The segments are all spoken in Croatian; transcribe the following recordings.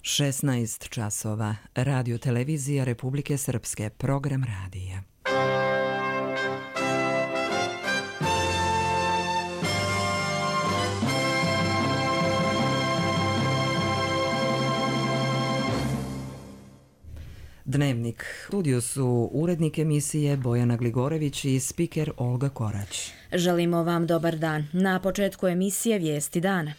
16 časova. Radio televizija Republike Srpske. Program radija. Dnevnik. U studiju su urednik emisije Bojana Gligorević i spiker Olga Korać. Želimo vam dobar dan. Na početku emisije Vijesti dana.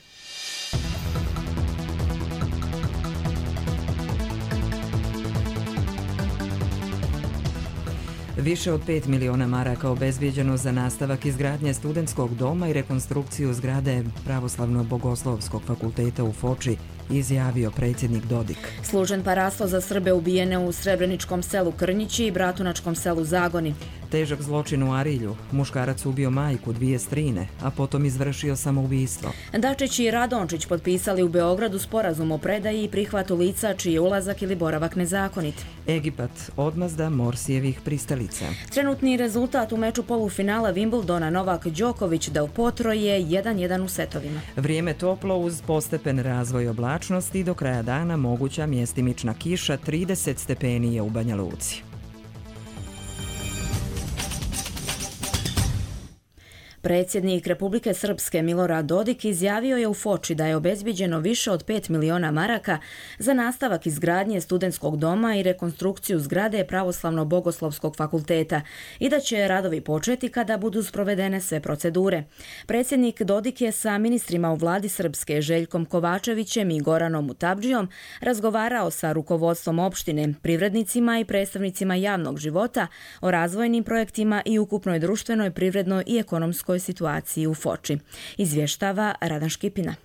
Više od 5 miliona maraka obezbijeđeno za nastavak izgradnje studentskog doma i rekonstrukciju zgrade Pravoslavno-bogoslovskog fakulteta u Foči, izjavio predsjednik Dodik. Služen parastvo za Srbe ubijene u Srebreničkom selu Krnjići i Bratunačkom selu Zagoni. Težak zločin u Arilju. Muškarac ubio majku, 2 strine, a potom izvršio samoubistvo. Dačić i Radončić potpisali u Beogradu sporazum o predaji i prihvatu lica čiji je ulazak ili boravak nezakonit. Egipat, odmazda Morsijevih pristalica. Trenutni rezultat u meču polufinala Wimbledona Novak Đoković Del Potro je 1:1 u setovima. Vrijeme toplo uz postepen razvoj oblačnosti i do kraja dana moguća mjestimična kiša, 30 stepeni je u Banja Luci. Predsjednik Republike Srpske Milorad Dodik izjavio je u Foči da je obezbijeđeno više od 5 miliona maraka za nastavak izgradnje studentskog doma i rekonstrukciju zgrade Pravoslavno-bogoslovskog fakulteta i da će radovi početi kada budu sprovedene sve procedure. Predsjednik Dodik je sa ministrima u vladi Srpske Željkom Kovačevićem i Goranom Mutabdžijom razgovarao sa rukovodstvom opštine, privrednicima i predstavnicima javnog života o razvojnim projektima i ukupnoj društvenoj, privrednoj i ekonomskoj situaciji u Foči. Izvještava Radan Škipina.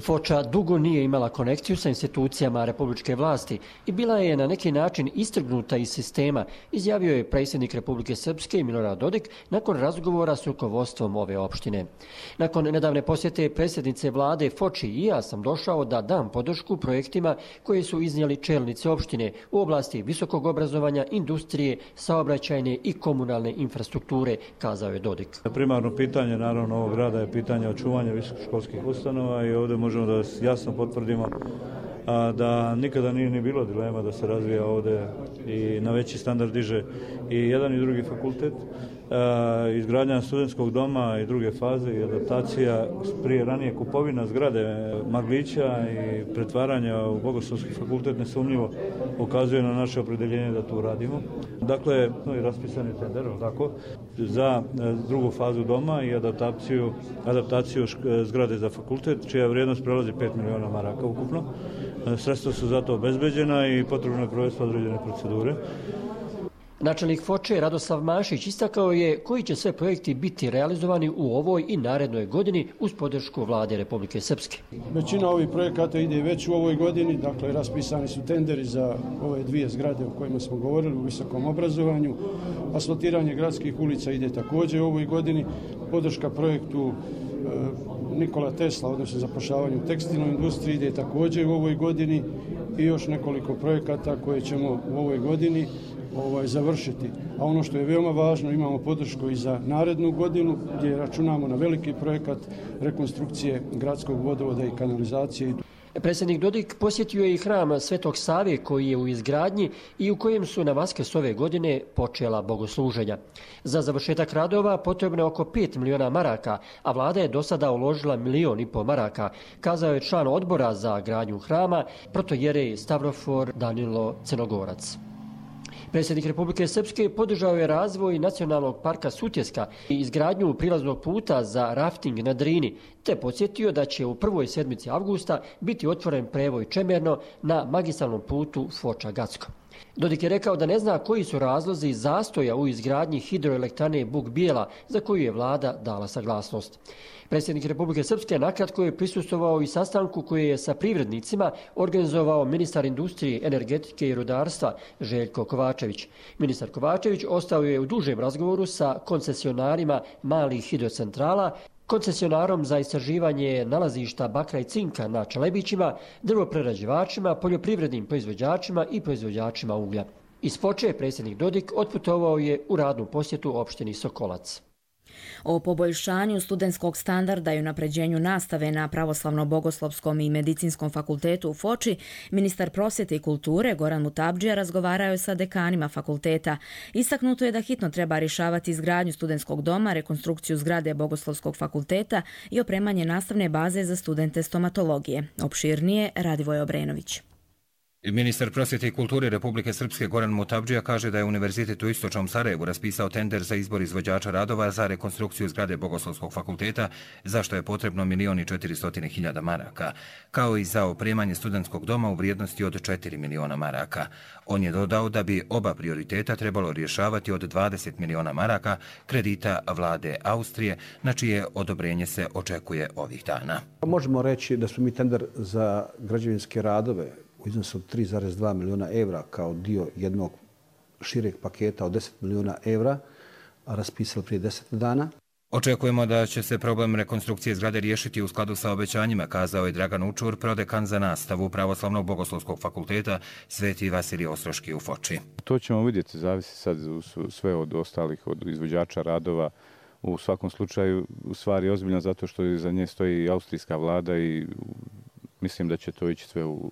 Foča dugo nije imala konekciju sa institucijama republičke vlasti i bila je na neki način istrgnuta iz sistema, izjavio je predsjednik Republike Srpske Milorad Dodik nakon razgovora s rukovodstvom ove opštine. Nakon nedavne posjete predsjednice vlade Foči i ja sam došao da dam podršku projektima koje su iznijeli čelnici opštine u oblasti visokog obrazovanja, industrije, saobraćajne i komunalne infrastrukture, kazao je Dodik. Primarno pitanje naravno ovog grada je pitanje očuvanja visokoškolskih ustanova i ovdje možemo da jasno potvrdimo da nikada nije ni bilo dilema da se razvija ovdje i na veći standard diže i jedan i drugi fakultet. Izgradnja studentskog doma i druge faze i adaptacija prije ranije kupovina zgrade Maglića i pretvaranja u Bogoslovski fakultet nesumnjivo ukazuje na naše opredjeljenje da to radimo. Dakle, i raspisani tender tako, za drugu fazu doma i adaptaciju zgrade za fakultet, čija vrijednost prelazi 5 miliona maraka ukupno. Sredstva su zato obezbeđena i potrebno je provesti određene procedure. Načelnik Foče Radoslav Mašić istakao je koji će sve projekti biti realizovani u ovoj i narednoj godini uz podršku vlade Republike Srpske. Većina ovih projekata ide već u ovoj godini, dakle raspisani su tenderi za ove 2 zgrade o kojima smo govorili u visokom obrazovanju. Asfaltiranje gradskih ulica ide također u ovoj godini, podrška projektu Nikola Tesla, odnosno zapošljavanju u tekstilnoj industriji, ide također u ovoj godini i još nekoliko projekata koje ćemo u ovoj godini završiti. A ono što je veoma važno, imamo podršku i za narednu godinu gdje računamo na veliki projekat rekonstrukcije gradskog vodovoda i kanalizacije. Predsjednik Dodik posjetio je i hram Svetog Save koji je u izgradnji i u kojem su na Vaskrs ove godine počela bogosluženja. Za završetak radova potrebno je oko 5 miliona maraka, a vlada je do sada uložila 1,5 miliona maraka, kazao je član odbora za gradnju hrama protojerej Stavrofor Danilo Crnogorac. Predsjednik Republike Srpske podržao je razvoj nacionalnog parka Sutjeska i izgradnju prilaznog puta za rafting na Drini, te podsjetio da će u prvoj sedmici avgusta biti otvoren prevoj Čemerno na magistralnom putu Foča-Gacko. Dodik je rekao da ne zna koji su razlozi zastoja u izgradnji hidroelektrane Buk Bijela za koju je vlada dala saglasnost. Predsjednik Republike Srpske nakratko je prisustvovao i sastanku koji je sa privrednicima organizovao ministar industrije, energetike i rudarstva Željko Kovačević. Ministar Kovačević ostao je u dužem razgovoru sa koncesionarima malih hidrocentrala, koncesionarom za istraživanje nalazišta bakra i cinka na Čelebićima, drvoprerađivačima, poljoprivrednim proizvođačima i proizvođačima uglja. Iz Foče predsjednik Dodik otputovao je u radnu posjetu opštini Sokolac. O poboljšanju studentskog standarda i unapređenju nastave na Pravoslavno-bogoslovskom i medicinskom fakultetu u Foči, ministar prosvjete i kulture Goran Mutabdžija razgovarao je sa dekanima fakulteta. Istaknuto je da hitno treba rješavati izgradnju studentskog doma, rekonstrukciju zgrade Bogoslovskog fakulteta i opremanje nastavne baze za studente stomatologije. Opširnije Radivoj Obrenović. Ministar prosvjete i kulture Republike Srpske Goran Mutabdžija kaže da je Univerzitet u Istočnom Sarajevu raspisao tender za izbor izvođača radova za rekonstrukciju zgrade Bogoslovskog fakulteta, za što je potrebno 1.400.000 maraka, kao i za opremanje studentskog doma u vrijednosti od 4 miliona maraka. On je dodao da bi oba prioriteta trebalo rješavati od 20 miliona maraka kredita vlade Austrije, na čije odobrenje se očekuje ovih dana. Možemo reći da smo mi tender za građevinske radove u iznosu od 3,2 miliona evra kao dio jednog šireg paketa od 10 miliona evra raspisali prije 10 dana. Očekujemo da će se problem rekonstrukcije zgrade riješiti u skladu sa obećanjima, kazao je Dragan Učur, prodekan za nastavu Pravoslavnog bogoslovskog fakulteta Sveti Vasilij Ostroški u Foči. To ćemo vidjeti, zavisi sad sve od ostalih, od izvođača radova. U svakom slučaju, u stvari ozbiljno zato što iza nje stoji i austrijska vlada i mislim da će to ići sve u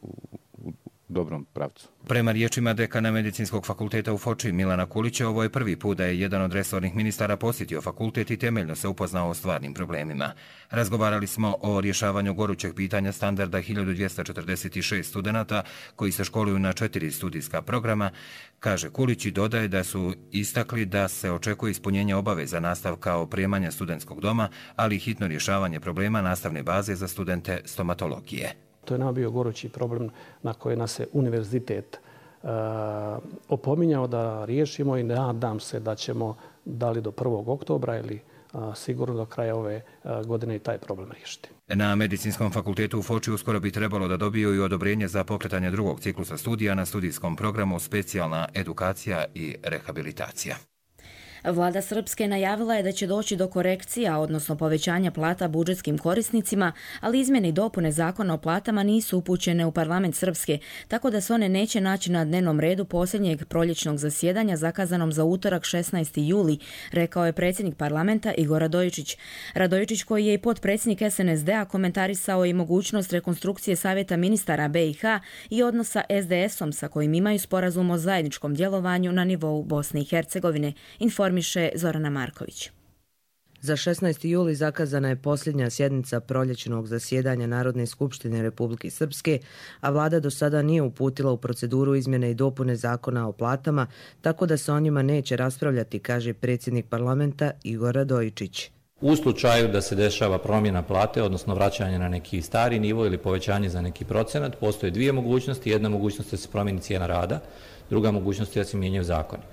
dobrom pravcu. Prema riječima dekana Medicinskog fakulteta u Foči Milana Kulića, ovo je prvi put da je jedan od resornih ministara posjetio fakultet i temeljno se upoznao o stvarnim problemima. Razgovarali smo o rješavanju gorućeg pitanja standarda 1246 studenata koji se školuju na 4 studijska programa, kaže Kulić i dodaje da su istakli da se očekuje ispunjenje obaveza nastavka opremanja studentskog doma, ali i hitno rješavanje problema nastavne baze za studente stomatologije. To je nama bio gorući problem na koji nas je univerzitet opominjao da riješimo i nadam se da ćemo da li do 1. oktobra ili sigurno do kraja ove godine i taj problem riješiti. Na Medicinskom fakultetu u Foči uskoro bi trebalo da dobiju i odobrenje za pokretanje drugog ciklusa studija na studijskom programu specijalna edukacija i rehabilitacija. Vlada Srpske najavila je da će doći do korekcija, odnosno povećanja plata budžetskim korisnicima, ali izmjene i dopune zakona o platama nisu upućene u parlament Srpske, tako da se one neće naći na dnevnom redu posljednjeg proljećnog zasjedanja zakazanom za utorak 16. juli, rekao je predsjednik parlamenta Igor Radojičić. Radojičić, koji je i potpredsjednik SNSD-a, komentarisao i mogućnost rekonstrukcije Savjeta ministara BiH i odnosa SDS-om sa kojim imaju sporazum o zajedničkom djelovanju na nivou Bosne i Hercegovine, informiše Zorana Marković. Za 16. juli zakazana je posljednja sjednica proljećnog zasjedanja Narodne skupštine Republike Srpske, a vlada do sada nije uputila u proceduru izmjene i dopune zakona o platama, tako da se o njima neće raspravljati, kaže predsjednik parlamenta Igor Radojičić. U slučaju da se dešava promjena plate, odnosno vraćanje na neki stari nivo ili povećanje za neki procenat, postoje dvije mogućnosti. Jedna mogućnost je da se promijeni cijena rada, druga mogućnost je da se mijenjaju zakoni.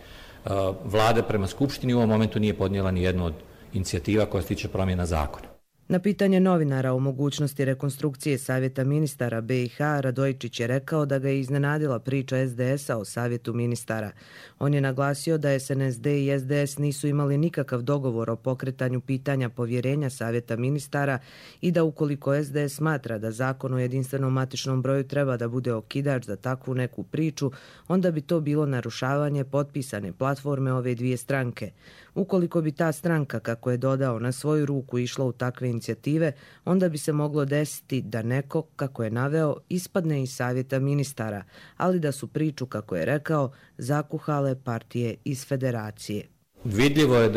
Vlada prema Skupštini u ovom momentu nije podnijela ni jednu od inicijativa koja se tiče promjena zakona. Na pitanje novinara o mogućnosti rekonstrukcije Savjeta ministara BiH, Radojičić je rekao da ga je iznenadila priča SDS-a o Savjetu ministara. On je naglasio da SNSD i SDS nisu imali nikakav dogovor o pokretanju pitanja povjerenja Savjeta ministara i da ukoliko SDS smatra da zakon o jedinstvenom matičnom broju treba da bude okidač za takvu neku priču, onda bi to bilo narušavanje potpisane platforme ove dvije stranke. Ukoliko bi ta stranka, kako je dodao, na svoju ruku išla u takve inicijative, onda bi se moglo desiti da neko, kako je naveo, ispadne iz Savjeta ministara, ali da su priču, kako je rekao, zakuhale partije iz federacije. Vidljivo je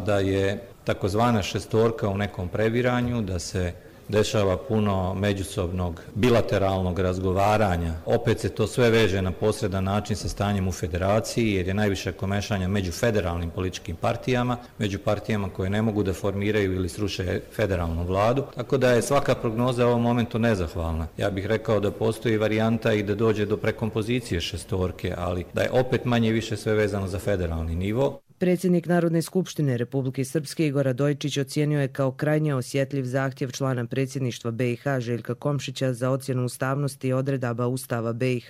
da je takozvana šestorka u nekom previranju, da se dešava puno međusobnog bilateralnog razgovaranja. Opet se to sve veže na posredan način sa stanjem u federaciji, jer je najviše komešanja među federalnim političkim partijama, među partijama koje ne mogu da formiraju ili sruše federalnu vladu. Tako da je svaka prognoza u ovom momentu nezahvalna. Ja bih rekao da postoji varijanta i da dođe do prekompozicije šestorke, ali da je opet manje više sve vezano za federalni nivo. Predsjednik Narodne skupštine Republike Srpske Igor Radojičić ocijenio je kao krajnje osjetljiv zahtjev člana predsjedništva BiH Željka Komšića za ocjenu ustavnosti odredaba Ustava BiH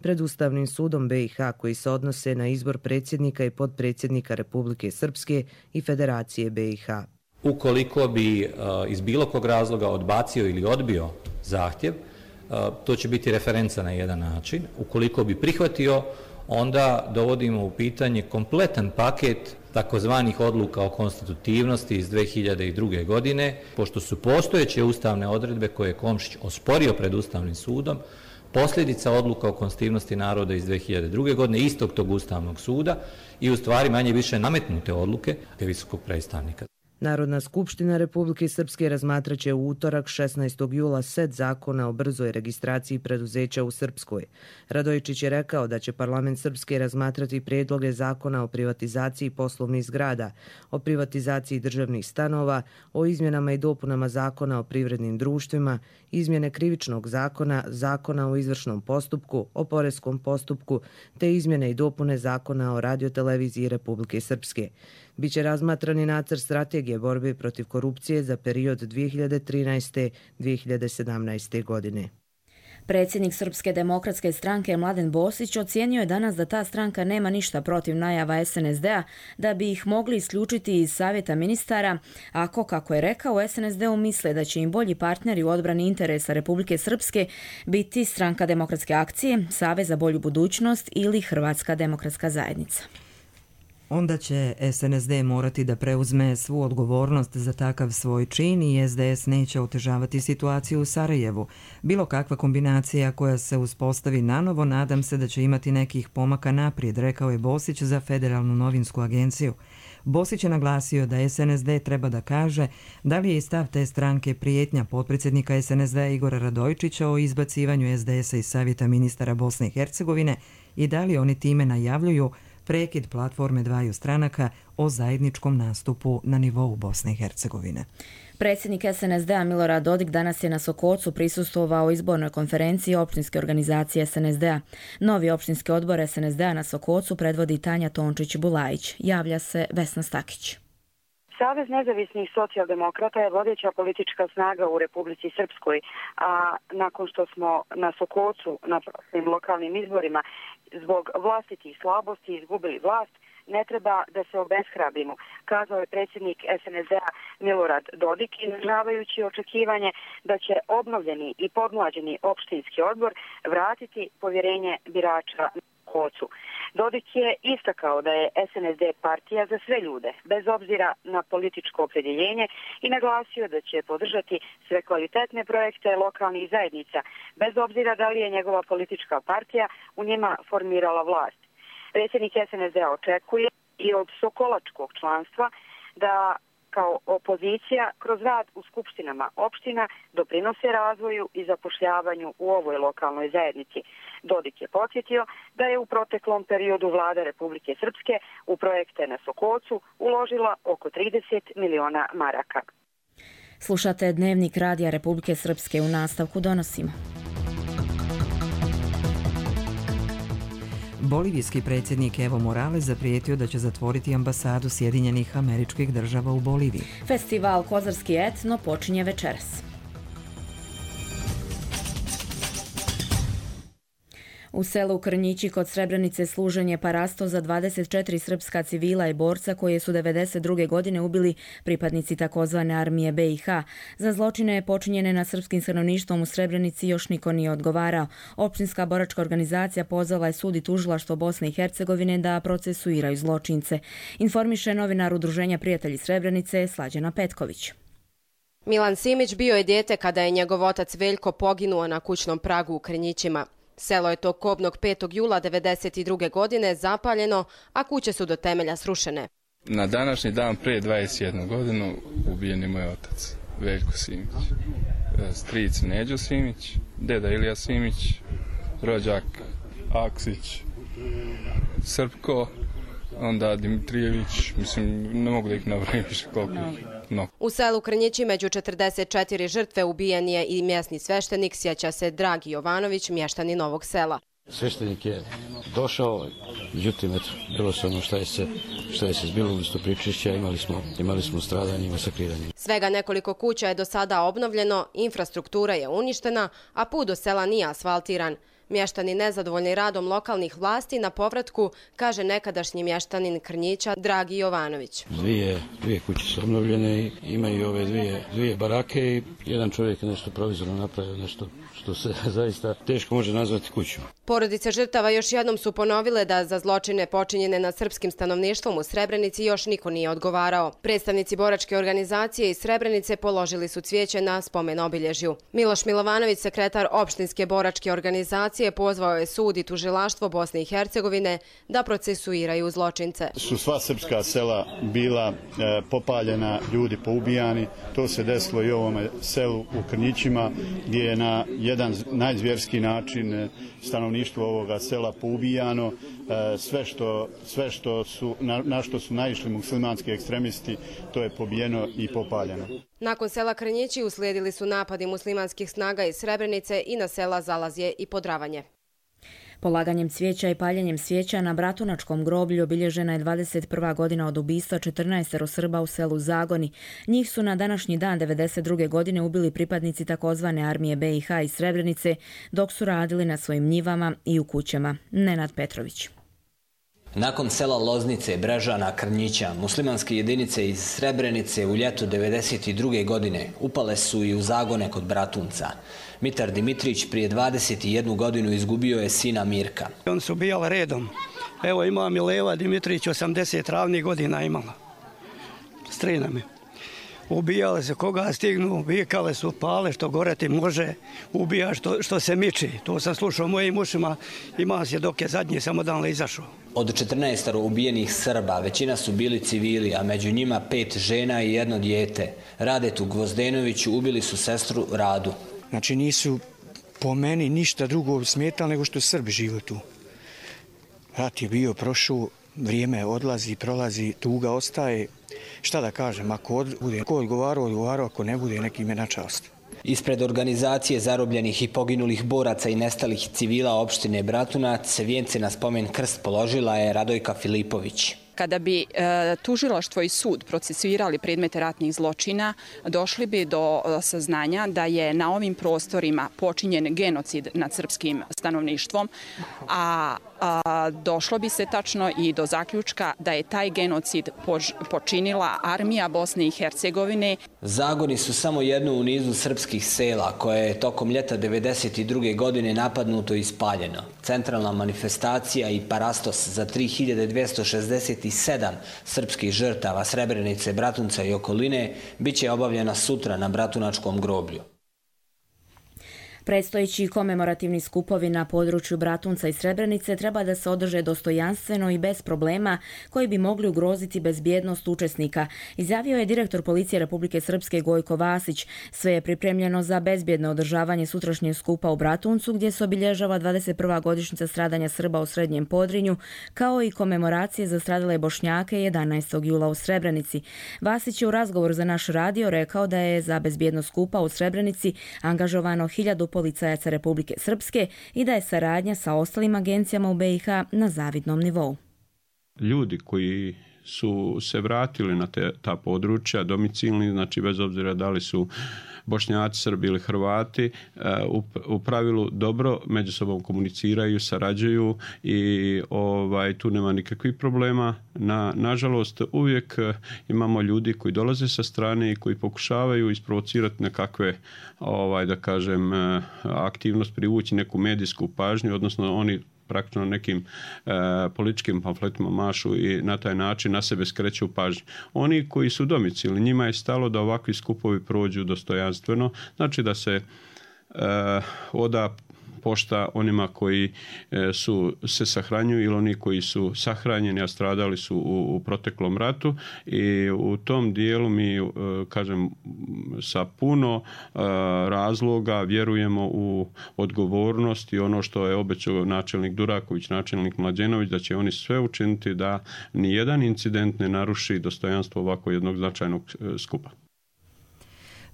pred Ustavnim sudom BiH koji se odnose na izbor predsjednika i potpredsjednika Republike Srpske i Federacije BiH. Ukoliko bi iz bilo kog razloga odbacio ili odbio zahtjev, to će biti referenca na jedan način. Ukoliko bi prihvatio, onda dovodimo u pitanje kompletan paket takozvanih odluka o konstitutivnosti iz 2002. godine, pošto su postojeće ustavne odredbe koje je Komšić osporio pred Ustavnim sudom, posljedica odluka o konstitutivnosti naroda iz 2002. godine, istog tog Ustavnog suda i u stvari manje više nametnute odluke visokog predstavnika. Narodna skupština Republike Srpske razmatraće u utorak 16. jula set zakona o brzoj registraciji preduzeća u Srpskoj. Radojičić je rekao da će parlament Srpske razmatrati prijedloge zakona o privatizaciji poslovnih zgrada, o privatizaciji državnih stanova, o izmjenama i dopunama zakona o privrednim društvima, izmjene krivičnog zakona, zakona o izvršnom postupku, o poreskom postupku, te izmjene i dopune zakona o radioteleviziji Republike Srpske. Biće razmatrani nacrt strategije borbe protiv korupcije za period 2013-2017. godine. Predsjednik Srpske demokratske stranke Mladen Bosić ocijenio je danas da ta stranka nema ništa protiv najava SNSD-a da bi ih mogli isključiti iz Savjeta ministara ako, kako je rekao, u SNSD-u misle da će im bolji partneri u odbrani interesa Republike Srpske biti Stranka demokratske akcije, Savez za bolju budućnost ili Hrvatska demokratska zajednica. Onda će SNSD morati da preuzme svu odgovornost za takav svoj čin i SDS neće otežavati situaciju u Sarajevu. Bilo kakva kombinacija koja se uspostavi nanovo, nadam se da će imati nekih pomaka naprijed, rekao je Bosić za Federalnu novinsku agenciju. Bosić je naglasio da SNSD treba da kaže da li je stav te stranke prijetnja potpredsjednika SNSD Igora Radojičića o izbacivanju SDS-a iz Savjeta ministara Bosne i Hercegovine i da li oni time najavljuju prekid platforme dvaju stranaka o zajedničkom nastupu na nivou Bosne i Hercegovine. Predsjednik SNSD-a Milorad Dodik danas je na Sokocu prisustvovao izbornoj konferenciji općinske organizacije SNSD-a. Novi općinski odbor SNSD-a na Sokocu predvodi Tanja Tončić-Bulajić. Javlja se Vesna Stakić. Savez nezavisnih socijaldemokrata je vodeća politička snaga u Republici Srpskoj, a nakon što smo na Sokocu na prostim lokalnim izborima zbog vlastitih slabosti izgubili vlast, ne treba da se obeshrabrimo, kazao je predsjednik SNSD-a Milorad Dodik, izražavajući očekivanje da će obnovljeni i podmlađeni opštinski odbor vratiti povjerenje birača na Sokocu. Dodik je istakao da je SNSD partija za sve ljude, bez obzira na političko opredjeljenje, i naglasio da će podržati sve kvalitetne projekte lokalnih zajednica, bez obzira da li je njegova politička partija u njima formirala vlast. Predsjednik SNSD-a očekuje i od sokolačkog članstva da kao opozicija kroz rad u skupštinama opština doprinose razvoju i zapošljavanju u ovoj lokalnoj zajednici. Dodik je podsjetio da je u proteklom periodu vlada Republike Srpske u projekte na Sokocu uložila oko 30 miliona maraka. Slušate Dnevnik Radija Republike Srpske, u nastavku donosimo. Bolivijski predsjednik Evo Morales zaprijetio da će zatvoriti ambasadu Sjedinjenih Američkih Država u Boliviji. Festival Kozarski etno počinje večeras. U selu Krnjići kod Srebrenice služen je parasto za 24 srpska civila i borca koje su 1992. godine ubili pripadnici takozvane armije BiH. Za zločine počinjene nad srpskim stanovništvom u Srebrenici još niko nije odgovarao. Općinska boračka organizacija pozvala je sud i tužilaštvo Bosne i Hercegovine da procesuiraju zločince. Informiše novinar Udruženja Prijatelji Srebrenice Slađana Petković. Milan Simić bio je dijete kada je njegov otac Veljko poginuo na kućnom pragu u Krnjićima. Selo je tog kobnog 5. jula 1992. godine zapaljeno, a kuće su do temelja srušene. Na današnji dan prije 21 godinu ubijen je moj otac, Veljko Simić. Stric Neđo Simić, deda Ilija Simić, rođak Aksić, Srpko, onda Dimitrijević, mislim, ne mogu da ih nabrojim više koliko ih. No. U selu Krnjići među 44 žrtve ubijen je i mjesni sveštenik, sjeća se Dragi Jovanović, mještani Novog Sela. Sveštenik je došao, međutim, bilo se ono šta je se zbilo umjesto pričišća, imali smo stradanje i masakriranje. Svega nekoliko kuća je do sada obnovljeno, infrastruktura je uništena, a put do sela nije asfaltiran. Mještani nezadovoljni radom lokalnih vlasti na povratku, kaže nekadašnji mještanin Krnjića Dragi Jovanović. Dvije kuće su obnovljene i imaju ove dvije barake i jedan čovjek je nešto provizorno napravio, nešto što se zaista teško može nazvati kućom. Porodice žrtava još jednom su ponovile da za zločine počinjene nad srpskim stanovništvom u Srebrenici još niko nije odgovarao. Predstavnici boračke organizacije iz Srebrenice položili su cvijeće na spomen obilježju. Miloš Milovanović, sekretar opštinske boračke organizacije, pozvao je sud i tužilaštvo Bosne i Hercegovine da procesuiraju zločince. Su sva srpska sela bila popaljena, ljudi poubijani. To se desilo i u ovome selu u Krnjićima, gdje je na jedan najzvjerski način stanovništvo ovoga sela poubijano. Sve što su, na što su naišli muslimanski ekstremisti, to je pobijeno i popaljeno. Nakon sela Krnjići uslijedili su napadi muslimanskih snaga iz Srebrenice i na sela Zalazje i Podravanje. Polaganjem cvijeća i paljenjem svijeća na Bratunačkom groblju obilježena je 21. godina od ubistva 14 Srba u selu Zagoni. Njih su na današnji dan 1992. godine ubili pripadnici takozvane armije BiH iz Srebrenice, dok su radili na svojim njivama i u kućama. Nenad Petrović. Nakon sela Loznice, Brežana, Krnjića, muslimanske jedinice iz Srebrenice u ljetu 1992. godine upale su i u Zagone kod Bratunca. Mitar Dimitrić prije 21 godinu izgubio je sina Mirka. On su ubijali redom. Evo ima Mileva Dimitrić, 80 ravnih godina imala. Strina mi. Ubijale se koga stignu, vikale su, pale što gore ti može, ubija što se miči. To sam slušao mojim ušima, imao se dok je zadnji samo dan izašao. Od 14 ubijenih Srba većina su bili civili, a među njima 5 žena i 1 dijete. Radetu Gvozdenoviću ubili su sestru Radu. Znači nisu po meni ništa drugo smetali nego što Srbi žive tu. Rat je bio, prošao, vrijeme odlazi, prolazi, tuga ostaje. Šta da kažem, ako bude odgovarao, ako ne bude, neki ime na čast. Ispred organizacije zarobljenih i poginulih boraca i nestalih civila opštine Bratunac, vijence na spomen krst položila je Radojka Filipović. Kada bi tužilaštvo i sud procesuirali predmete ratnih zločina, došli bi do saznanja da je na ovim prostorima počinjen genocid nad srpskim stanovništvom, a došlo bi se tačno i do zaključka da je taj genocid počinila armija Bosne i Hercegovine. Zagoni su samo jedno u nizu srpskih sela koje je tokom ljeta 1992. godine napadnuto i spaljeno. Centralna manifestacija i parastos za 3267 srpskih žrtava Srebrenice, Bratunca i okoline biće obavljena sutra na Bratunačkom groblju. Predstojeći komemorativni skupovi na području Bratunca i Srebrenice treba da se održe dostojanstveno i bez problema koji bi mogli ugroziti bezbjednost učesnika, izjavio je direktor Policije Republike Srpske Gojko Vasić. Sve je pripremljeno za bezbjedno održavanje sutrašnjeg skupa u Bratuncu, gdje se obilježava 21. godišnjica stradanja Srba u Srednjem Podrinju, kao i komemoracije za stradale Bošnjake 11. jula u Srebrenici. Vasić je u razgovoru za naš radio rekao da je za bezbjednost skupa u Srebrenici angažovano 1000 policajaca Republike Srpske i da je saradnja sa ostalim agencijama u BiH na zavidnom nivou. Ljudi koji su se vratili na ta područja domicilni, znači bez obzira da li su Bošnjaci, Srbi ili Hrvati, u pravilu dobro među sobom komuniciraju, sarađuju i tu nema nikakvih problema. Nažalost, uvijek imamo ljudi koji dolaze sa strane i koji pokušavaju isprovocirati nekakve, da kažem, aktivnost, privući neku medijsku pažnju, odnosno oni praktično nekim političkim pamfletima mašu i na taj način na sebe skreću pažnju. Oni koji su domicilni, njima je stalo da ovakvi skupovi prođu dostojanstveno, znači da se oda pošta onima koji se sahranjuju ili oni koji su sahranjeni, a stradali su u proteklom ratu i u tom dijelu mi, kažem, sa puno razloga vjerujemo u odgovornost i ono što je obećao načelnik Duraković, načelnik Mlađenović, da će oni sve učiniti da nijedan incident ne naruši dostojanstvo ovako jednog značajnog skupa.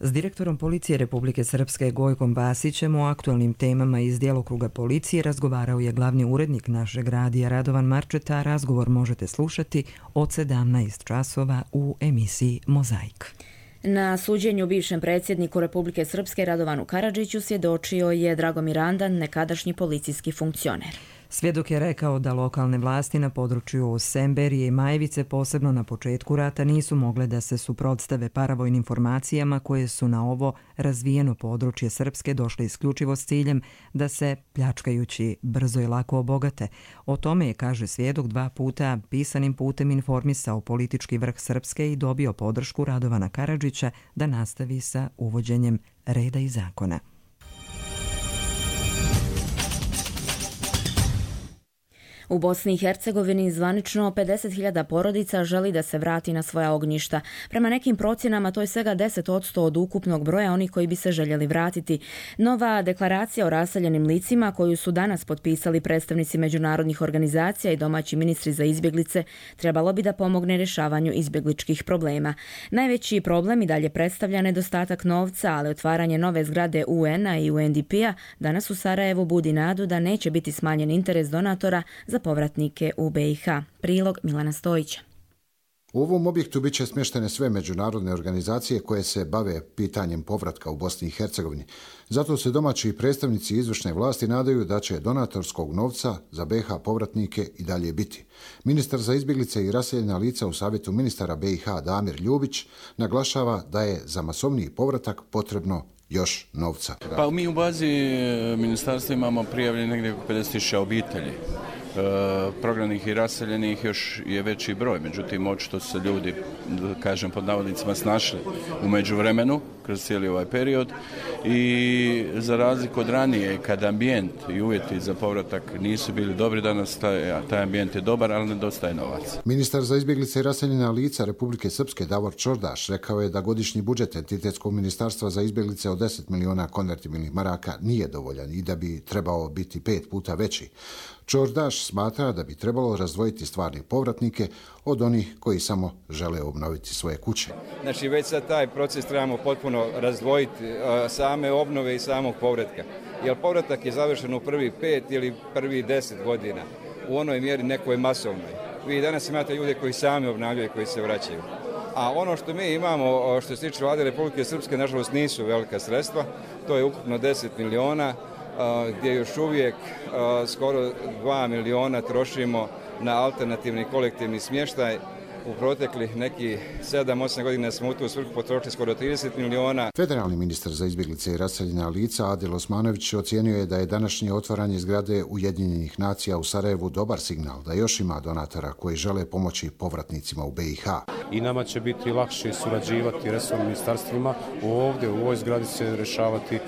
S direktorom Policije Republike Srpske Gojkom Vasićem o aktualnim temama iz djelokruga policije razgovarao je glavni urednik našeg radija Radovan Marčeta. Razgovor možete slušati od 17 časova u emisiji Mozaik. Na suđenju bivšem predsjedniku Republike Srpske Radovanu Karadžiću svjedočio je Dragomir Andan, nekadašnji policijski funkcioner. Svjedok je rekao da lokalne vlasti na području Semberije i Majevice posebno na početku rata nisu mogle da se suprotstave paravojnim formacijama koje su na ovo razvijeno područje Srpske došle isključivo s ciljem da se, pljačkajući, brzo i lako obogate. O tome je, kaže svjedok, 2 puta pisanim putem informisao politički vrh Srpske i dobio podršku Radovana Karadžića da nastavi sa uvođenjem reda i zakona. U Bosni i Hercegovini zvanično 50.000 porodica želi da se vrati na svoja ognjišta. Prema nekim procjenama to je svega 10% od ukupnog broja onih koji bi se željeli vratiti. Nova deklaracija o raseljenim licima koju su danas potpisali predstavnici međunarodnih organizacija i domaći ministri za izbjeglice trebalo bi da pomogne rješavanju izbjegličkih problema. Najveći problem i dalje predstavlja nedostatak novca, ali otvaranje nove zgrade UN-a i UNDP-a danas u Sarajevu budi nadu da neće biti smanjen interes donatora za povratnike u BiH. Prilog Milana Stojića. U ovom objektu biće smještene sve međunarodne organizacije koje se bave pitanjem povratka u Bosni i Hercegovini. Zato se domaći predstavnici izvršne vlasti nadaju da će donatorskog novca za BiH povratnike i dalje biti. Ministar za izbjeglice i raseljena lica u Savjetu ministara BiH Damir Ljubić naglašava da je za masovniji povratak potrebno još novca. Pa mi u bazi ministarstva imamo prijavljeni negdje oko 50.000 obitelji. Prognanih i raseljenih još je veći broj, međutim očito su se ljudi, kažem pod navodnicima, snašli u međuvremenu kroz cijeli ovaj period i za razliku od ranije kad ambijent i uvjeti za povratak nisu bili dobri, danas taj ambijent je dobar, ali nedostaje novac. Ministar za izbjeglice i raseljena lica Republike Srpske Davor Čordaš rekao je da godišnji budžet entitetskog ministarstva za izbjeglice od 10 miliona konvertibilnih maraka nije dovoljan i da bi trebao biti 5 puta veći. Čordaš smatra da bi trebalo razdvojiti stvarne povratnike od onih koji samo žele obnoviti svoje kuće. Znači već sad taj proces trebamo potpuno razdvojiti same obnove i samog povratka. Jer povratak je završen u prvi 5 ili prvi 10 godina. U onoj mjeri nekoj masovnoj. Vi danas imate ljude koji sami obnavljaju i koji se vraćaju. A ono što mi imamo, što se tiče Vlade Republike Srpske, nažalost nisu velika sredstva. To je ukupno 10 miliona. Gdje još uvijek skoro 2 miliona trošimo na alternativni kolektivni smještaj. U proteklih nekih 7-8 godina smo u tu svrhu potrošili skoro 30 miliona. Federalni ministar za izbjeglice i raseljena lica Adil Osmanović ocijenio je da je današnje otvaranje zgrade Ujedinjenih nacija u Sarajevu dobar signal da još ima donatora koji žele pomoći povratnicima u BiH. I nama će biti lakše surađivati resornim ministarstvima. Ovdje u ovoj zgradi se rješavati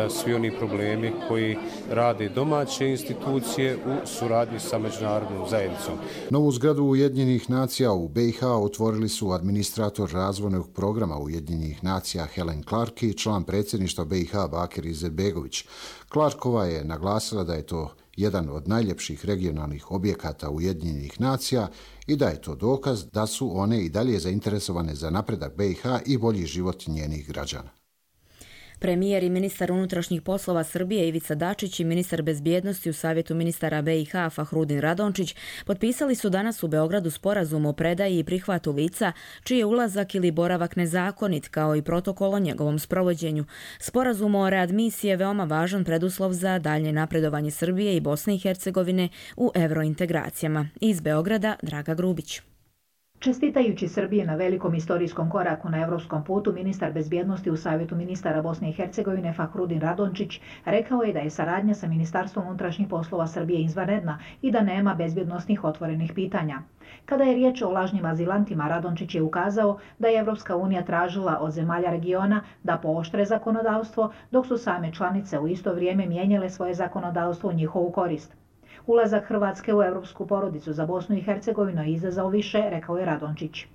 svi oni problemi koji rade domaće institucije u suradnji sa međunarodnom zajednicom. Novu zgradu Ujedinjenih nacija u BiH otvorili su administrator razvojnog programa Ujedinjenih nacija Helen Clark i član predsjedništva BiH Bakir Izetbegović. Clarkova je naglasila da je to jedan od najljepših regionalnih objekata Ujedinjenih nacija i da je to dokaz da su one i dalje zainteresovane za napredak BiH i bolji život njenih građana. Premijer i ministar unutrašnjih poslova Srbije Ivica Dačić i ministar bezbjednosti u Savjetu ministara BiH Fahrudin Radončić potpisali su danas u Beogradu sporazum o predaji i prihvatu lica čiji je ulazak ili boravak nezakonit, kao i protokol o njegovom sprovođenju. Sporazum o readmisiji je veoma važan preduslov za daljnje napredovanje Srbije i Bosne i Hercegovine u evrointegracijama. Iz Beograda Draga Grubić. Čestitajući Srbije na velikom istorijskom koraku na evropskom putu, ministar bezbjednosti u Savjetu ministara Bosne i Hercegovine Fahrudin Radončić rekao je da je saradnja sa Ministarstvom unutrašnjih poslova Srbije izvanredna i da nema bezbjednosnih otvorenih pitanja. Kada je riječ o lažnim azilantima, Radončić je ukazao da je Evropska unija tražila od zemalja regiona da pooštre zakonodavstvo, dok su same članice u isto vrijeme mijenjale svoje zakonodavstvo u njihovu korist. Ulazak Hrvatske u evropsku porodicu za Bosnu i Hercegovinu je izazvao više, rekao je Radončić.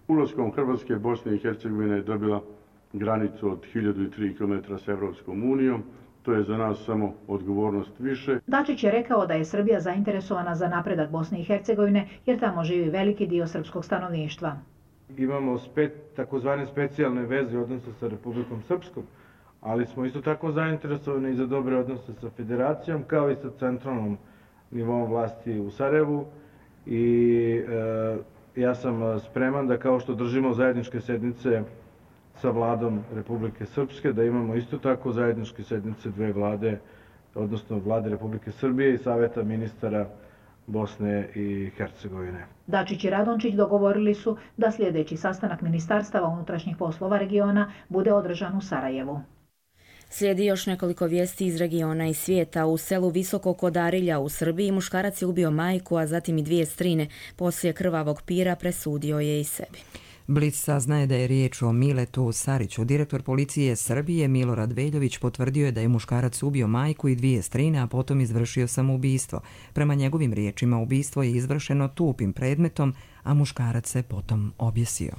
Ulaskom Hrvatske Bosne i Hercegovine je dobila granicu od 1003 km s Evropskom unijom. To je za nas samo odgovornost više. Dačić je rekao da je Srbija zainteresovana za napredak Bosne i Hercegovine jer tamo živi veliki dio srpskog stanovništva. Imamo takozvane specijalne veze odnose sa Republikom Srpskom, ali smo isto tako zainteresovani i za dobre odnose sa Federacijom kao i sa centralnom nivom vlasti u Sarajevu i ja sam spreman da kao što držimo zajedničke sednice sa vladom Republike Srpske, da imamo isto tako zajedničke sednice dve vlade, odnosno vlade Republike Srbije i Saveta ministara Bosne i Hercegovine. Dačić i Radončić dogovorili su da sljedeći sastanak ministarstava unutrašnjih poslova regiona bude održan u Sarajevu. Slijedi još nekoliko vijesti iz regiona i svijeta. U selu Visoko kod Arilja u Srbiji muškarac je ubio majku, a zatim i dvije strine. Poslije krvavog pira presudio je i sebi. Blic saznaje da je riječ o Miletu Sariću. Direktor policije Srbije Milorad Veljović potvrdio je da je muškarac ubio majku i dvije strine, a potom izvršio samoubistvo. Prema njegovim riječima, ubistvo je izvršeno tupim predmetom, a muškarac se potom objesio.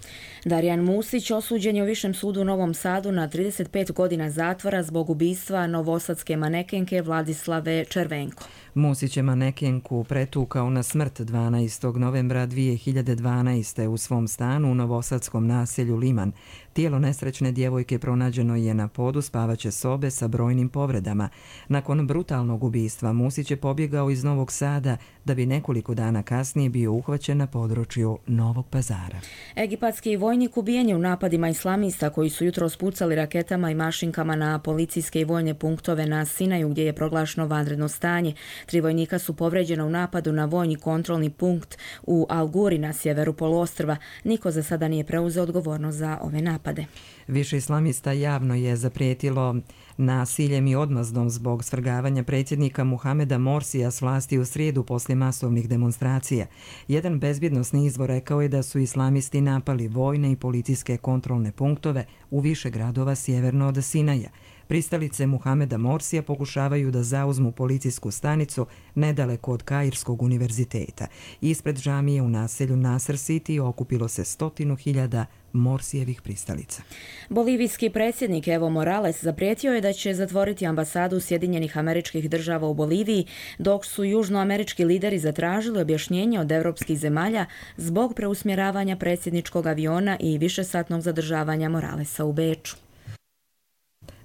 Darijan Musić osuđen je u Višem sudu u Novom Sadu na 35 godina zatvora zbog ubistva novosadske manekenke Vladislave Červenko. Musić je manekenku pretukao na smrt 12. novembra 2012. u svom stanu u novosadskom naselju Liman. Tijelo nesrećne djevojke pronađeno je na podu spavaće sobe sa brojnim povredama. Nakon brutalnog ubistva Musić je pobjegao iz Novog Sada da bi nekoliko dana kasnije bio uhvaćen na području Novog Pazara. Egipatski vojnik ubijen je u napadima islamista koji su jutros pucali raketama i mašinkama na policijske i vojne punktove na Sinaju gdje je proglašeno vanredno stanje. 3 vojnika su povređena u napadu na vojni kontrolni punkt u Al-Guri na sjeveru poluostrva. Niko za sada nije preuzeo odgovornost za ove napade. Više islamista javno je zaprijetilo nasiljem i odmazdom zbog svrgavanja predsjednika Muhameda Morsija s vlasti u srijedu poslije masovnih demonstracija. Jedan bezbjednosni izvor rekao je da su islamisti napali vojne i policijske kontrolne punktove u više gradova sjeverno od Sinaja. Pristalice Muhameda Morsija pokušavaju da zauzmu policijsku stanicu nedaleko od Kairskog univerziteta. Ispred džamije u naselju Nasr City okupilo se 100.000 Morsijevih pristalica. Bolivijski predsjednik Evo Morales zaprijetio je da će zatvoriti ambasadu Sjedinjenih Američkih Država u Boliviji, dok su južnoamerički lideri zatražili objašnjenje od evropskih zemalja zbog preusmjeravanja predsjedničkog aviona i višesatnog zadržavanja Moralesa u Beču.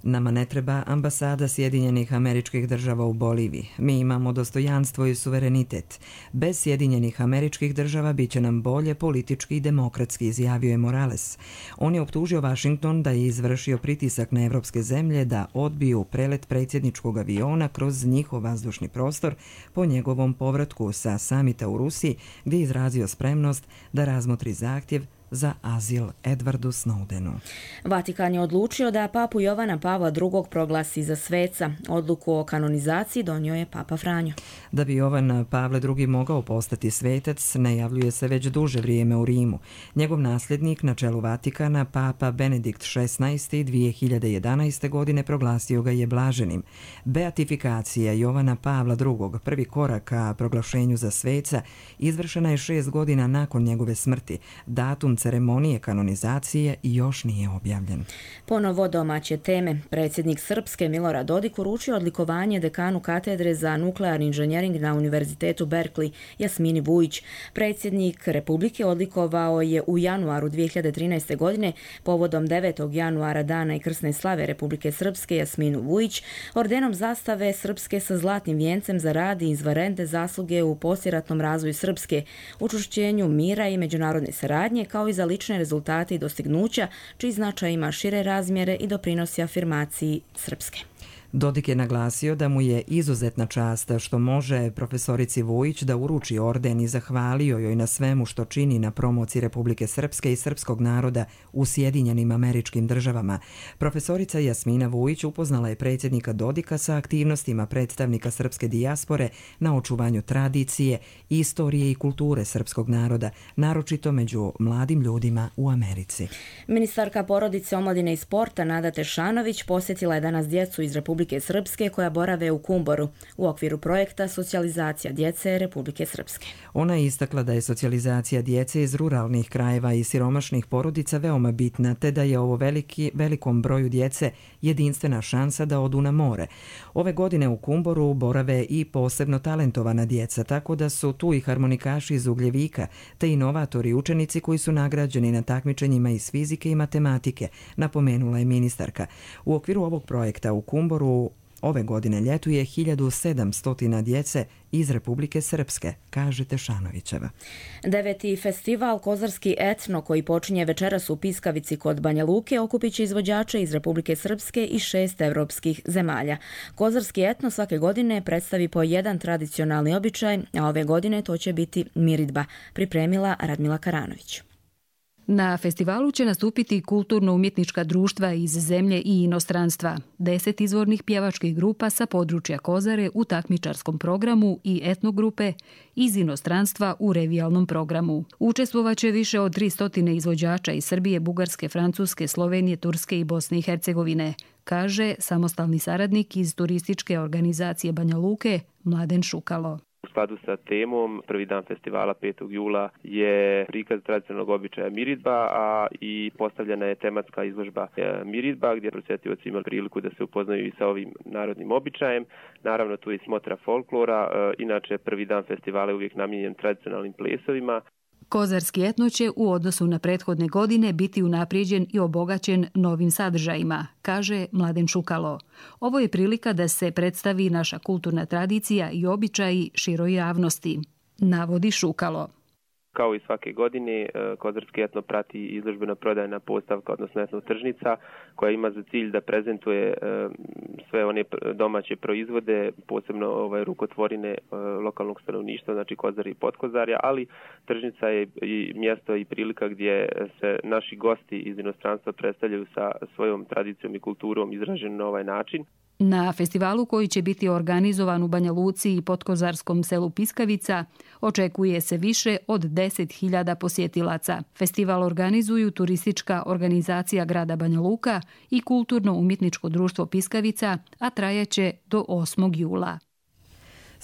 Nama ne treba ambasada Sjedinjenih Američkih Država u Boliviji. Mi imamo dostojanstvo i suverenitet. Bez Sjedinjenih Američkih Država bit će nam bolje politički i demokratski, izjavio je Morales. On je optužio Washington da je izvršio pritisak na evropske zemlje da odbiju prelet predsjedničkog aviona kroz njihov vazdušni prostor po njegovom povratku sa samita u Rusiji, gdje je izrazio spremnost da razmotri zahtjev za azil Edwardu Snowdenu. Vatikan je odlučio da papu Jovana Pavla II. Proglasi za sveca. Odluku o kanonizaciji donio je papa Franjo. Da bi Jovan Pavle II. Mogao postati svetac, najavljuje se već duže vrijeme u Rimu. Njegov nasljednik na čelu Vatikana, papa Benedikt XVI. 2011. godine proglasio ga je blaženim. Beatifikacija Jovana Pavla II., prvi korak ka proglašenju za sveca, izvršena je 6 godina nakon njegove smrti. Datum ceremonije kanonizacije još nije objavljen. Ponovo domaće teme. Predsjednik Srpske Milorad Dodik uručio odlikovanje dekanu katedre za nuklearni inženjering na Univerzitetu Berkeley Jasmini Vujić. Predsjednik Republike odlikovao je u januaru 2013. godine povodom 9. januara dana i krsne slave Republike Srpske Jasminu Vujić ordenom zastave Srpske sa zlatnim vijencem za rad i izvanredne zasluge u poslijeratnom razvoju Srpske, učvršćenju mira i međunarodne saradnje, kao i za lične rezultate i dostignuća, čiji značaj ima šire razmjere i doprinosi afirmaciji Srpske. Dodik je naglasio da mu je izuzetna čast što može profesorici Vujić da uruči orden i zahvalio joj na svemu što čini na promociji Republike Srpske i srpskog naroda u Sjedinjenim Američkim Državama. Profesorica Jasmina Vujić upoznala je predsjednika Dodika sa aktivnostima predstavnika srpske dijaspore na očuvanju tradicije, istorije i kulture srpskog naroda, naročito među mladim ljudima u Americi. Ministarka porodice, omladine i sporta Nada Tešanović posjetila je danas djecu iz Republike Srpske koja borave u Kumboru u okviru projekta Socijalizacija djece Republike Srpske. Ona je istakla da je socijalizacija djece iz ruralnih krajeva i siromašnih porodica veoma bitna, te da je ovo velikom broju djece jedinstvena šansa da odu na more. Ove godine u Kumboru borave i posebno talentovana djeca, tako da su tu i harmonikaši iz Ugljevika, te inovatori i učenici koji su nagrađeni na takmičenjima iz fizike i matematike, napomenula je ministarka. U okviru ovog projekta u Kumboru Ove godine ljetuje 1700 djece iz Republike Srpske, kaže Tešanovićeva. 9. festival Kozarski etno, koji počinje večeras u Piskavici kod Banja Luke, okupit će izvođače iz Republike Srpske i 6 evropskih zemalja. Kozarski etno svake godine predstavi po jedan tradicionalni običaj, a ove godine to će biti miridba, pripremila Radmila Karanović. Na festivalu će nastupiti kulturno-umjetnička društva iz zemlje i inostranstva, 10 izvornih pjevačkih grupa sa područja Kozare u takmičarskom programu i etnogrupe iz inostranstva u revijalnom programu. Učestvovaće više od 300 izvođača iz Srbije, Bugarske, Francuske, Slovenije, Turske i Bosne i Hercegovine, kaže samostalni saradnik iz turističke organizacije Banja Luke Mladen Šukalo. U skladu sa temom, prvi dan festivala 5. jula je prikaz tradicionalnog običaja miridba, a i postavljena je tematska izložba miridba, gdje posjetioci imali priliku da se upoznaju i sa ovim narodnim običajem. Naravno, tu je i smotra folklora, inače prvi dan festivala je uvijek namijenjen tradicionalnim plesovima. Kozarski etno će u odnosu na prethodne godine biti unaprijeđen i obogaćen novim sadržajima, kaže Mladen Šukalo. Ovo je prilika da se predstavi naša kulturna tradicija i običaji široj javnosti, navodi Šukalo. Kao i svake godine, Kozarski etno prati izložbena prodajna postavka, odnosno etno tržnica, koja ima za cilj da prezentuje sve one domaće proizvode, posebno rukotvorine lokalnog stanovništva, znači Kozari i Podkozarja, ali tržnica je i mjesto i prilika gdje se naši gosti iz inostranstva predstavljaju sa svojom tradicijom i kulturom izražen na ovaj način. Na festivalu, koji će biti organizovan u Banja Luci i podkozarskom selu Piskavica, očekuje se više od 10.000 posjetilaca. Festival organizuju turistička organizacija grada Banja Luka i kulturno-umjetničko društvo Piskavica, a trajaće do 8. jula.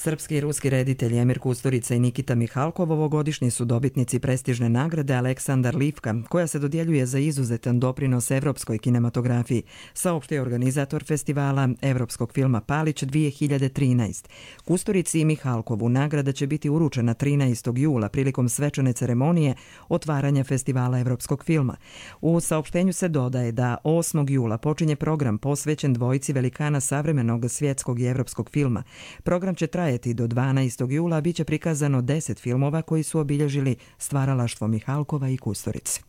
Srpski i ruski reditelji Emir Kusturica i Nikita Mihalkov ovogodišnji su dobitnici prestižne nagrade Aleksandar Livka, koja se dodjeljuje za izuzetan doprinos evropskoj kinematografiji, saopštio organizator festivala evropskog filma Palić 2013. Kusturici i Mihalkovu nagrada će biti uručena 13. jula prilikom svečane ceremonije otvaranja festivala evropskog filma. U saopštenju se dodaje da 8. jula počinje program posvećen dvojici velikana savremenog svjetskog i evropskog filma. Program će trajati do 12. jula, bit će prikazano 10 filmova koji su obilježili stvaralaštvo Mihalkova i Kusturici.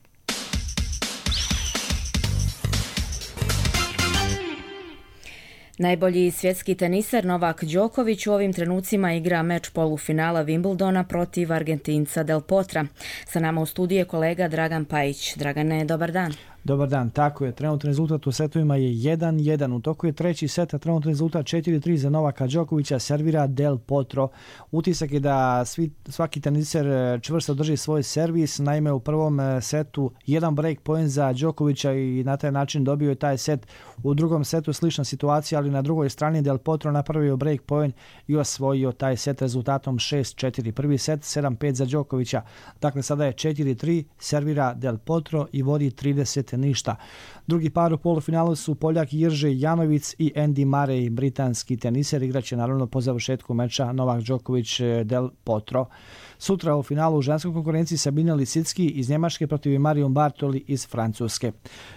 Najbolji svjetski teniser Novak Đoković u ovim trenucima igra meč polufinala Wimbledona protiv Argentinca Del Potra. Sa nama u studiju je kolega Dragan Pajić. Dragane, dobar dan. Dobar dan, tako je. Trenutni rezultat u setovima je 1-1. U toku je treći set, a trenutni rezultat 4-3 za Novaka Đokovića, servira Del Potro. Utisak je da svaki teniser čvrsto drži svoj servis. Naime, u prvom setu jedan break point za Đokovića i na taj način dobio je taj set. U drugom setu slična situacija, ali na drugoj strani Del Potro napravio break point i osvojio taj set rezultatom 6-4. Prvi set 7-5 za Đokovića. Dakle, sada je 4-3, servira Del Potro i vodi 30 ništa. Drugi par u polufinalu su Poljak Jirže Janovic i Andy Murray, britanski teniser. Igraće naravno po završetku meča Novak Đoković Del Potro. Sutra u finalu u ženskoj konkurenciji Sabina Lisicki iz Njemačke protiv Marion Bartoli iz Francuske.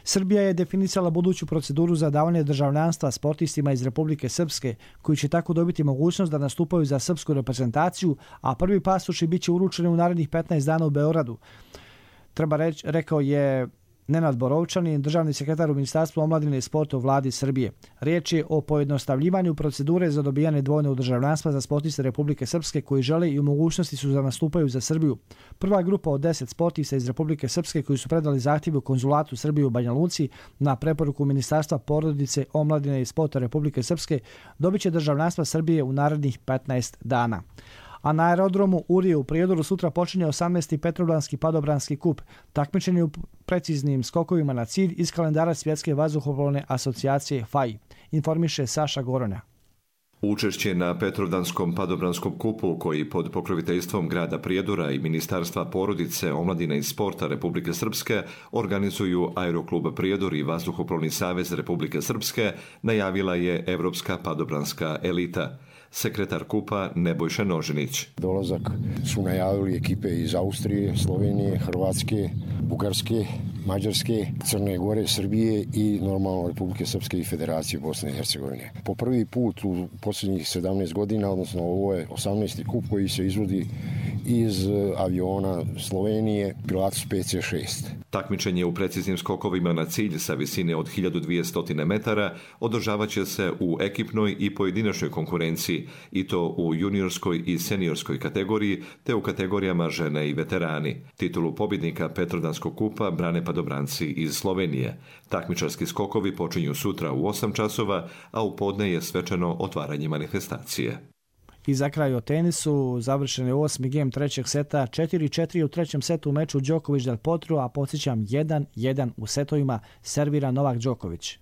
Srbija je definisala buduću proceduru za davanje državljanstva sportistima iz Republike Srpske, koji će tako dobiti mogućnost da nastupaju za srpsku reprezentaciju, a prvi pasoši bit će uručeni u narednih 15 dana u Beogradu. Treba reći, rekao je Nenad Borovčanin, državni sekretar u Ministarstvu omladine i sporta u vladi Srbije. Riječ je o pojednostavljivanju procedure za dobijanje dvojnog državljanstva za sportiste Republike Srpske koji žele i u mogućnosti su da nastupaju za Srbiju. Prva grupa od 10 sportista iz Republike Srpske koji su predali zahtjev u konzulatu Srbije u Banja Luci na preporuku Ministarstva porodice, omladine i sporta Republike Srpske dobit će državljanstva Srbije u narednih 15 dana. A na aerodromu Urije u Prijedoru sutra počinje 18. Petrovdanski padobranski kup. Takmičenje u preciznim skokovima na cilj iz kalendara Svjetske vazduhoplovne asocijacije FAI. Informiše Saša Gorona. Učešće na Petrovdanskom padobranskom kupu, koji pod pokroviteljstvom grada Prijedora i Ministarstva porodice, omladine i sporta Republike Srpske organizuju Aeroklub Prijedor i Vazduhoplovni savez Republike Srpske, najavila je Evropska padobranska elita. sekretar KUP-a Nebojša Nožinić. Dolazak su najavili ekipe iz Austrije, Slovenije, Hrvatske, Bugarske, Mađarske, Crne Gore, Srbije i normalno Republike Srpske i Federacije Bosne i Hercegovine. Po prvi put u posljednjih 17 godina, odnosno ovo je 18. kup koji se izvodi iz aviona Slovenije Pilatus PC-6. Takmičenje u preciznim skokovima na cilj sa visine od 1200 metara održavat će se u ekipnoj i pojedinačnoj konkurenciji, i to u juniorskoj i seniorskoj kategoriji, te u kategorijama žene i veterani. Titulu pobjednika Petrovdanskog kupa brane padobranci iz Slovenije. Takmičarski skokovi počinju sutra u 8 časova, a u podne je svečano otvaranje manifestacije. I za kraj o tenisu, završen je 8. gem trećeg seta, 4-4 u trećem setu u meču Đoković Del Potro, a podsjećam 1-1 u setovima servira Novak Đoković.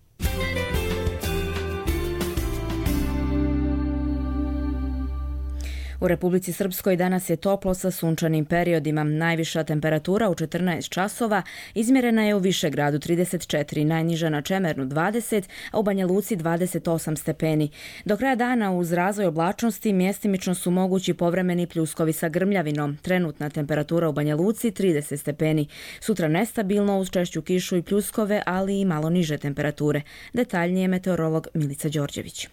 U Republici Srpskoj danas je toplo sa sunčanim periodima. Najviša temperatura u 14 časova izmjerena je u Višegradu 34, najniža na Čemernu 20, a u Banja Luci 28 stepeni. Do kraja dana uz razvoj oblačnosti mjestimično su mogući povremeni pljuskovi sa grmljavinom. Trenutna temperatura u Banja Luci 30 stepeni. Sutra nestabilno uz češću kišu i pljuskove, ali i malo niže temperature. Detaljnije meteorolog Milica Đorđević.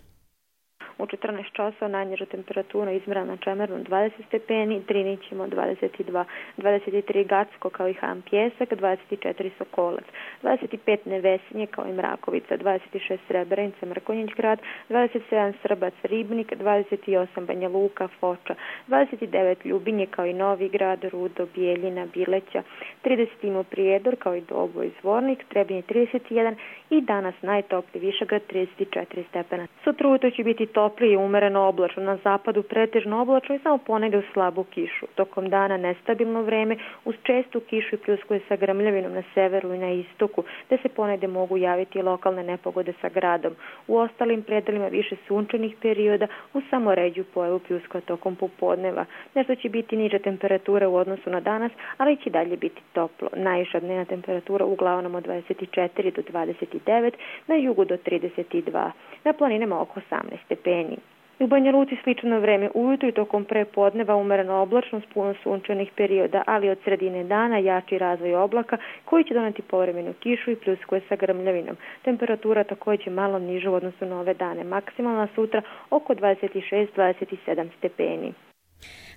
U 14 časova najniža temperatura izmjerena na Čemernu 20 stepeni, Drinićima 22, 23 Gacko kao i Han Pjesak, 24 Sokolac, 25 Nevesinje kao i Mrakovica, 26 Srebrenica, Mrkonjić grad, 27 Srbac, Ribnik, 28 Banja Luka, Foča, 29 Ljubinje kao i Novi grad, Rudo, Bijeljina, Bileća, 30 Imo Prijedor kao i Doboj, Zvornik, Trebinje 31 i danas najtopliji Višegrad 34 stepena. Sutra ujutro će biti toplije i umereno oblačno, na zapadu pretežno oblačno i samo ponegdje u slabu kišu. Tokom dana nestabilno vreme uz čestu kišu i pljuskove sa grmljavinom na severu i na istoku, te se ponegdje mogu javiti lokalne nepogode sa gradom. U ostalim predelima više sunčanih perioda uz samo ređu pojavu pljuskova tokom popodneva. Nešto će biti niža temperatura u odnosu na danas, ali će dalje biti toplo. Najviša dnevna temperatura uglavnom od 24 do 29, na jugu do 32, na planinama oko 18 stepeni. U Banja Luci slično vreme ujutro i tokom prepodneva umereno oblačno s puno sunčanih perioda, ali od sredine dana jači razvoj oblaka koji će doneti povremenu kišu i pljuskove sa grmljavinom. Temperatura također malo niža u odnosu na ove dane. Maksimalna sutra oko 26-27 stepeni.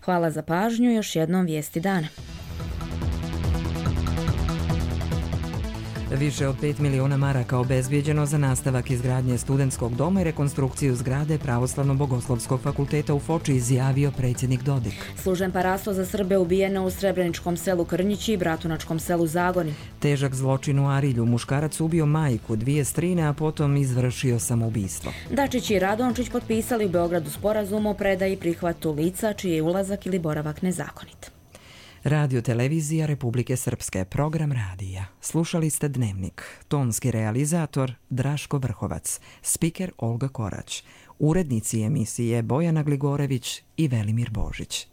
Hvala za pažnju, još jednom vijesti dana. Više od 5 miliona maraka obezbijeđeno za nastavak izgradnje studentskog doma i rekonstrukciju zgrade Pravoslavno-bogoslovskog fakulteta u Foči, izjavio predsjednik Dodik. Služen parasto za Srbe ubijeno u Srebreničkom selu Krnjići i Bratunačkom selu Zagoni. Težak zločin u Arilju. Muškarac ubio majku, 2 strine, a potom izvršio samoubistvo. Dačić i Radončić potpisali u Beogradu sporazum o predaji i prihvatu lica čiji je ulazak ili boravak nezakonit. Radio televizija Republike Srpske, program radija. Slušali ste Dnevnik. Tonski realizator Draško Vrhovac, spiker Olga Korać, urednici emisije Bojana Gligorević i Velimir Božić.